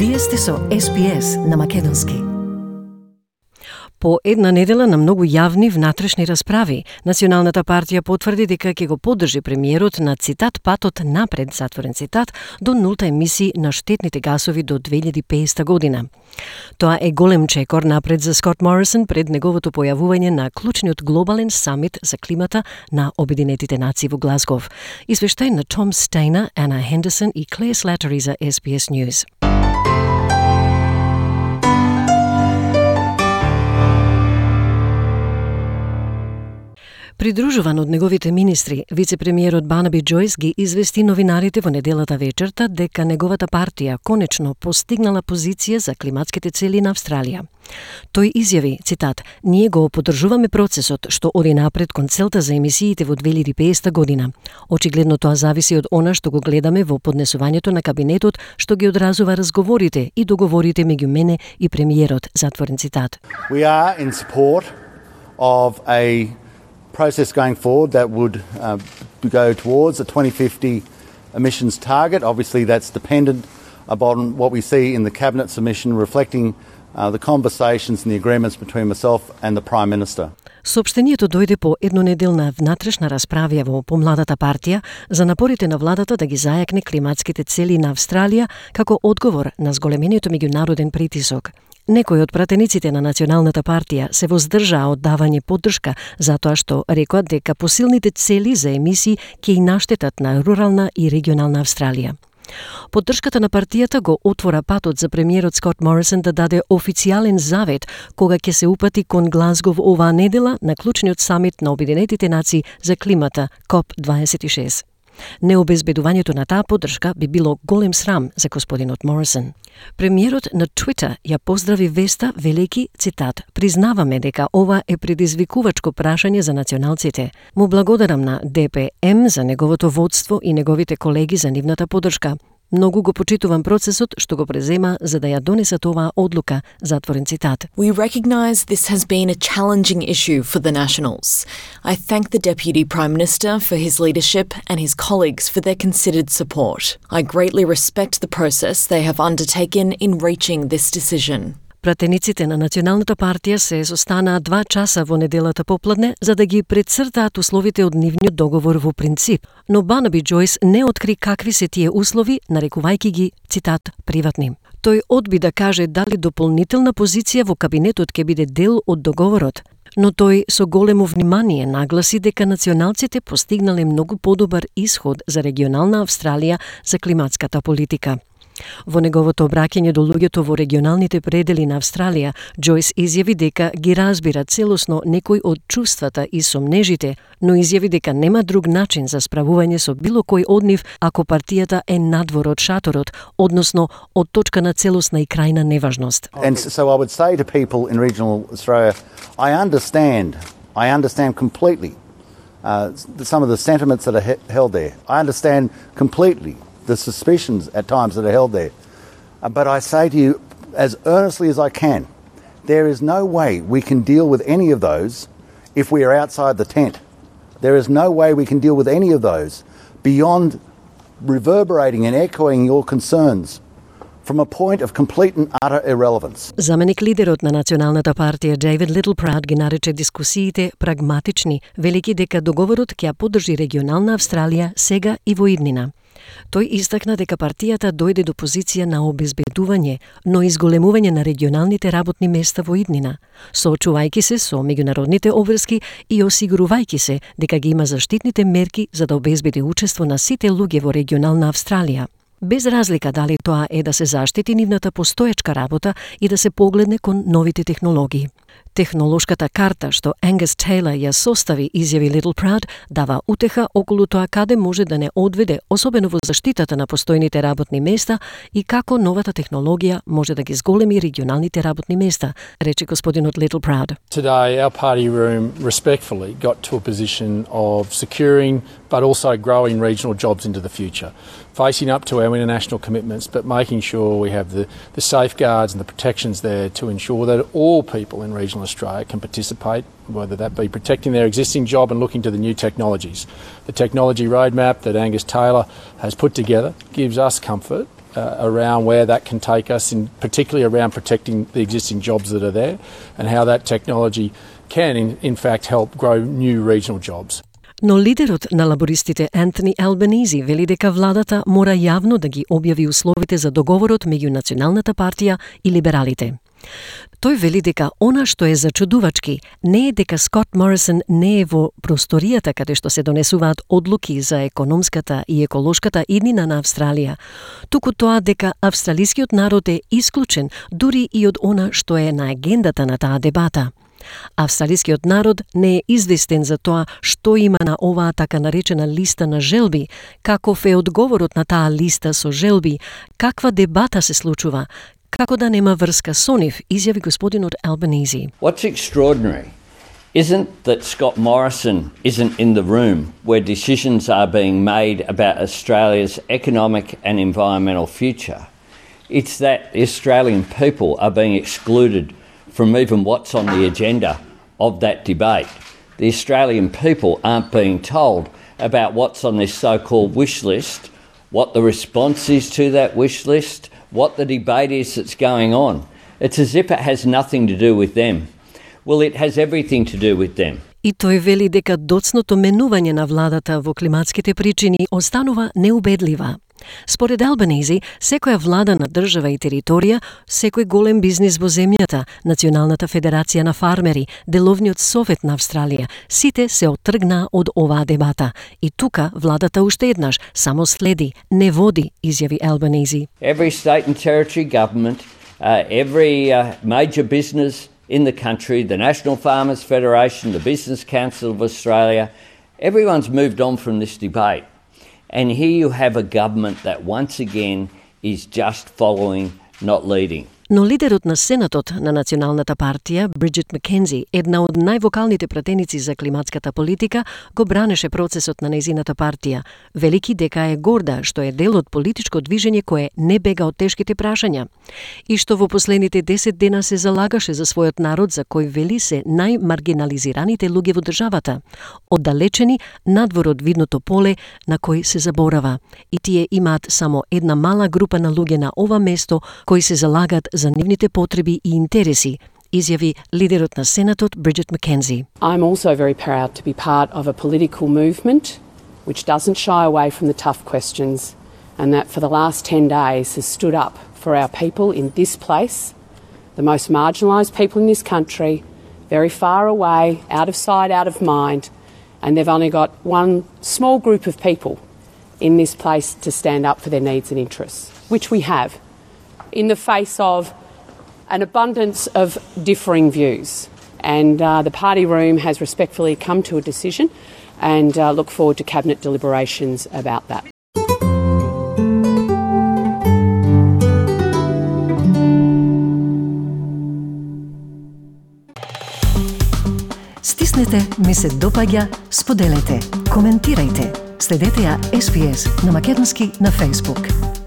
Вие сте со SPS на македонски. По една недела на многу јавни внатрешни расправи, Националната партија потврди дека ќе го поддржи премиерот на цитат патот напред, затворен цитат, до нулта емисии на штетните гасови до 2050 година. Тоа е голем чекор напред за Скот Морисон пред неговото појавување на клучниот глобален самит за климата на Обединетите нации во Глазгов. Извештај на Том Стейнер, Ана Хендерсон и Клея Слатери за SBS News. Придружуван од неговите министри, вице-премиерот Барнаби Джојс ги извести новинарите во неделата вечерта дека неговата партија конечно постигнала позиција за климатските цели на Австралија. Тој изјави, цитат, "Ние го поддржуваме процесот што оди напред кон целта за емисиите во 2050 година. Очигледно тоа зависи од она што го гледаме во поднесувањето на кабинетот што ги одразува разговорите и договорите меѓу мене и премиерот", затворен цитат. We are in support of a process going forward that would go towards a 2050 emissions target. Obviously, that's dependent upon what we see in the Cabinet submission reflecting the conversations and the agreements between myself and the Prime Minister. Соопштението дојде по еднонеделна внатрешна расправа во помладата партија за напорите на владата да ги зајакне климатските цели на Австралија како одговор на зголемениот меѓународен притисок. Некои од пратениците на Националната партија се воздржаа од давање поддршка затоа што рекоа дека посилните цели за емисии ќе и наштетат на рурална и регионална Австралија. Поддршката на партијата го отвора патот за премиерот Скот Морисон да даде официјален завет кога ќе се упати кон Глазгов оваа недела на клучниот самит на Обединетите нации за климата COP26. Необезбедувањето на таа поддршка би било голем срам за господинот Морисон. Премиерот на Твитер ја поздрави Веста велики, цитат, "Признаваме дека ова е предизвикувачко прашање за националците. Му благодарам на ДПМ за неговото водство и неговите колеги за нивната поддршка. Многу го почитувам процесот што го презема за да ја донесат оваа одлука", затворен цитат. We recognise this has been a challenging issue for the Nationals. I thank the Deputy Prime Minister for his leadership and his colleagues for their considered support. I greatly respect the process they have undertaken in reaching this decision. Пратениците на Националната партија се состанаа 2 часа во неделата попладне за да ги претцртаат условите од нивниот договор во принцип, но Барнаби Джојс не откри какви се тие услови, нарекувајќи ги, цитат, "приватни". Тој одби да каже дали дополнителна позиција во кабинетот ќе биде дел од договорот, но тој со големо внимание нагласи дека националците постигнале многу подобар исход за регионална Австралија за климатската политика. Во неговото обраќање до луѓето во регионалните предели на Австралија, Джојс изјави дека ги разбира целосно некои од чувствата и сомнежите, но изјави дека нема друг начин за справување со било кој од нив ако партијата е надвор од шаторот, односно од точка на целосна и крајна неважност. And so I would say to people in regional Australia, I understand completely some of the sentiments that are held there. I understand completely the suspicions at times that are held there. But I say to you, as earnestly as I can, there is no way we can deal with any of those if we are outside the tent. There is no way we can deal with any of those beyond reverberating and echoing your concerns from a point of complete and utter irrelevance. Заменик лидерот на Националната партија Дейвид Литлпрауд ги нарече дискусиите прагматични, велики дека договорот ќе ја поддржи регионална Австралија сега и во иднина. Тој истакна дека партијата дојде до позиција на обезбедување, но изголемување на регионалните работни места во иднина, соочувајќи се со меѓународните обврски и осигурувајќи се дека ги има заштитните мерки за да обезбеди учество на сите луѓе во регионална Австралија. Без разлика дали тоа е да се заштити нивната постоечка работа и да се погледне кон новите технологии. Технолошката карта што Ангус Тейлор ја состави, изјави Литлпрауд, дава утеха околу тоа каде може да не одведе, особено во заштитата на постојните работни места и како новата технологија може да ги зголеми регионалните работни места, рече господинот Литлпрауд. Today our party room respectfully got to a position of securing but also growing regional jobs into the future. Facing up to our international commitments, but making sure we have the safeguards and the protections there to ensure that all people in regional Australia can participate, whether that be protecting their existing job and looking to the new technologies. The technology roadmap that Angus Taylor has put together gives us comfort around where that can take us, and particularly around protecting the existing jobs that are there and how that technology can in fact help grow new regional jobs. Но лидерот на лабористите Ентони Албанизи вели дека владата мора јавно да ги објави условите за договорот меѓу Националната партија и либералите. Тој вели дека она што е зачудувачки не е дека Скот Морисон не е во просторијата каде што се донесуваат одлуки за економската и еколошката иднина на Австралија, туку тоа дека австралискиот народ е исклучен дури и од она што е на агендата на таа дебата. Австралискиот народ не е известен за тоа што има на оваа така наречена листа на желби, каков е одговорот на таа листа со желби, каква дебата се случува, како да нема врска со нив, изјави господинот Албанизи. What's extraordinary isn't that Scott Morrison isn't in the room where decisions are being made about Australia's economic and environmental future. It's that the Australian people are being excluded from even what's on the agenda of that debate. The Australian people aren't being told about what's on this so-called wish list, what the response is to that wish list, what the debate is that's going on. It's as if it has nothing to do with them. Well, it has everything to do with them. И тој вели дека доцното менување на владата во климатските причини останува неубедлива. Според Албанизи, секоја влада на држава и територија, секој голем бизнис во земјата, Националната федерација на фармери, Деловниот совет на Австралија, сите се оттргнаа од оваа дебата. И тука владата уште еднаш само следи, не води, изјави Албанизи. Every state and territory government, every major business in the country, the National Farmers Federation, the Business Council of Australia, everyone's moved on from this debate. And here you have a government that once again is just following, not leading. Но лидерот на Сенатот на Националната партија, Бриджит Маккензи, една од највокалните пратеници за климатската политика, го бранеше процесот на нејзината партија, велики дека е горда што е дел од политичко движење кое не бега од тешките прашања и што во последните 10 дена се залагаше за својот народ, за кој вели се најмаргинализираните луѓе во државата, оддалечени надвор од видното поле на кој се заборава. И тие имаат само една мала група на луѓе на ова место кои се залагат за нивните потреби и интереси, изјави лидерот на Сенатот Бриджит Маккензи. I'm also very proud to be part of a political movement which doesn't shy away from the tough questions and that for the last 10 days has stood up for our people in this place, the most marginalised people in this country, very far away, out of sight, out of mind, and they've only got one small group of people in this place to stand up for their needs and interests, which we have, in the face of an abundance of differing views. And the party room has respectfully come to a decision and look forward to Cabinet deliberations about that. Стиснете, ми се допаѓа, споделете, коментирајте. Следете ја SPS на македонски на Facebook.